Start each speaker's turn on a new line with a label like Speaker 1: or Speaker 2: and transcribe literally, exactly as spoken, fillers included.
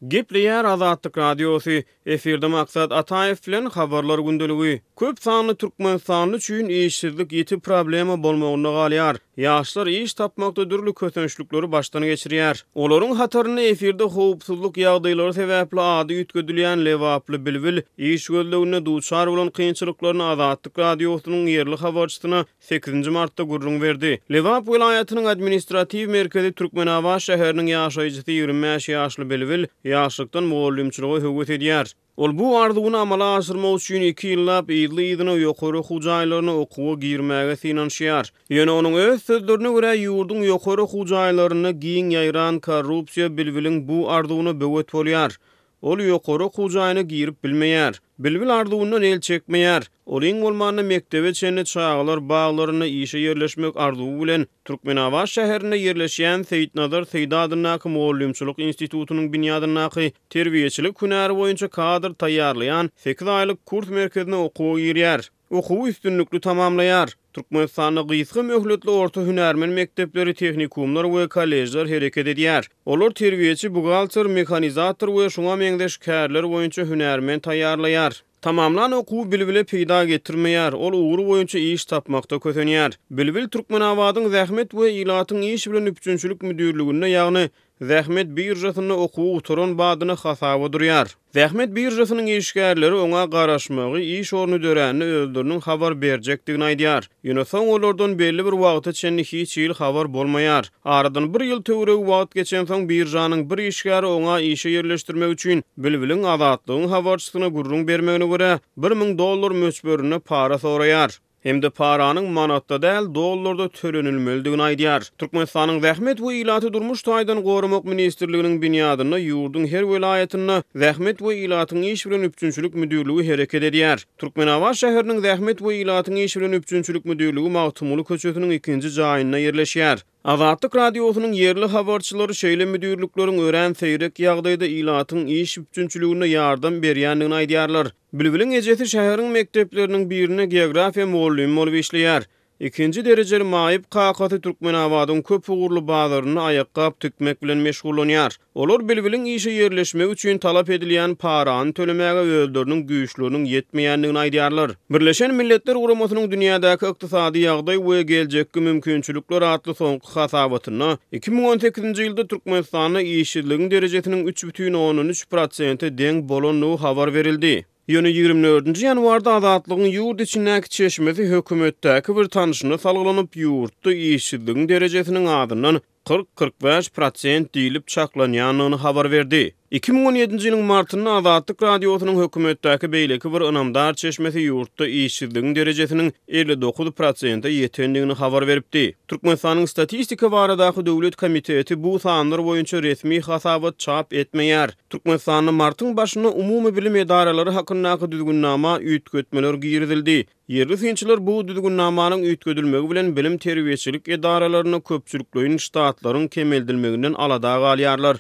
Speaker 1: Gepleýär Azatlyk Radiosy, efirde Maksat Ataýew bilen Habarlar gündeligi. Köp sanly türkmenistanly üçin işsizlik ýiti problema bolmagynda galýar. Ýaşlar iş tapmakda dürli kösençlikleri başdan geçirýär. Olaryň hatarynda efirde howpsuzlyk ýagdaýlary sebäpli ady üýtgedilýän lebaply Bilbil iş gözleginde duçar bolan kynçylyklaryny Azatlyk Radiosynyň ýerli habarçysyna sekizinji martda gürrüň berdi. Lebap welaýatynyň administratiw merkezi Türkmenabat şäheriniň ýaşaýjysy ýigrimi bäş ýaşly Bilbil ýaşlykdan mugallymçylyga höwes edýär. Ol bu arzuwyny amala aşyrmak üçin iki ýyllap yzly-yzyna ýokary okuw jaýlaryna okuwa girmäge synanyşýar. Ýöne onuň öz sözlerine görä, ýurduň ýokary okuw jaýlarynda giň ýaýran korrupsiýa Bilbiliň bu arzuwyna böwet bolýar. Ol ýokary okuw jaýyna girip bilmeýär. Bilbil arzuwyndan el çekmeýär. Ol iň bolmanda mekdebe çenli çagalar baglarynda işe ýerleşmek arzuwy bilen Türkmenabat şäherinde ýerleşýän Seýitnazar Seýdi adyndaky mugallymçylyk institutynyň binýadyndaky terbiýeçilik hünäri boýunça kadr taýýarlaýan sekiz aýlyk kurs merkezine okuwa girýär. Okuwy üstünlikli tamamlaýar. Türkmenistanda gysga möhletli orta hünärmen mekdepleri, tehnikumlar we kolležler hereket edýär. Olar terbiýeçi, buhgalter, mehanizator we şuňa meňzeş kärler boýunça hünärmen taýýarlaýar. Tamamlan okuwy Bilbile peýda getirmeýär, ol ugry boýunça iş tapmakda kösenýär. Bilbil Türkmenabadyň Zähmet we ilatyň iş bilen üpjünçilik müdirliginde, ýagny Zähmet biržasynda okuwy gutaran badyna hasaba durýar. Zähmet biržasynyň işgärleri oňa garaşmagy, iş orny dörände özleriniň habar berjekdigini aýdýar. Ýöne soň olardan belli bir wagta çenli hiç hili habar bolmaýar. Aradan bir ýyl töweregi wagt geçensoň biržanyň bir işgäri oňa işe ýerleşdirmek üçin Bilbiliň Azatlygyň habarçysyna gürrüň bermegine görä, bir müň dollar möçberinde para soraýar. Hem-de paranyň manatda däl, dollarda tölenilmelidigini aýdýar. Türkmenistanyň Zähmet we ilaty durmuş taýdan goramak ministrliginiň binýadynda ýurduň her welaýatynda Zähmet we ilatyň iş bilen üpjünçilik müdirligi hereket edýär. Türkmenabat şäheriniň Zähmet we ilatyň iş bilen üpjünçilik müdirligi Magtymguly köçesiniň ikinji jaýynda ýerleşýär. Azatlyk Radiosynyň ýerli habarçylary şeýle müdirlikleriň örän seýrek ýagdaýda ilatyň iş üpjünçiligine ýardam berýändigini aýdýarlar. Bilbiliň ejesi şäheriň mekdepleriniň birinde geografiýa mugallymy bolup işleýär. Ikinji derejeli maýyp kakasy Türkmenabadyň köp ugurly bazarynda aýakgap tikmek bilen meşgullanýar. Olar Bilbiliň işe ýerleşmegi üçin talap edilýän parany tölemäge özleriniň güýçleriniň ýetmeýändigini aýdýarlar. Birleşen Milletler Guramasynyň dünýädäki ykdysady ýagdaý we geljekki mümkinçilikler atly soňky hasabatynda iki müň on sekizinji ýylda Türkmenistanda işsizligiň derejesiniň üç bütin ondan üç prosente deň bolandygy habar berildi. Ýöne ýigrimi dördünji ýanwarda Azatlygyň ýurt içindäki çeşmesi hökümetdäki bir tanşyna salgylanyp, ýurtda işsizligiň derejesiniň azyndan kyrk-kyrk bäş prosent diýlip çaklanýandygyny habar berdi. Iki müň on ýedinji ýylyň martynda Azatlyk Radiosynyň hökümetdäki beýleki bir ynamdar çeşmesi ýurtda işsizligiň derejesiniň elli dokuz prosente ýetendigini habar beripdi. Türkmenistanyň Statistika baradaky döwlet komiteti bu sanlar boýunça resmi hasabat çap etmeýär. Türkmenistanda martyň başynda umumy bilim edaralary hakyndaky düzgünnama üýtgetmeler girizildi. Ýerli synçylar bu düzgünnamanyň üýtgedilmegi bilen bilim terbiýeçilik edaralarynda köpçülikleýin ştatlaryň kemeldilmeginden alada galýarlar.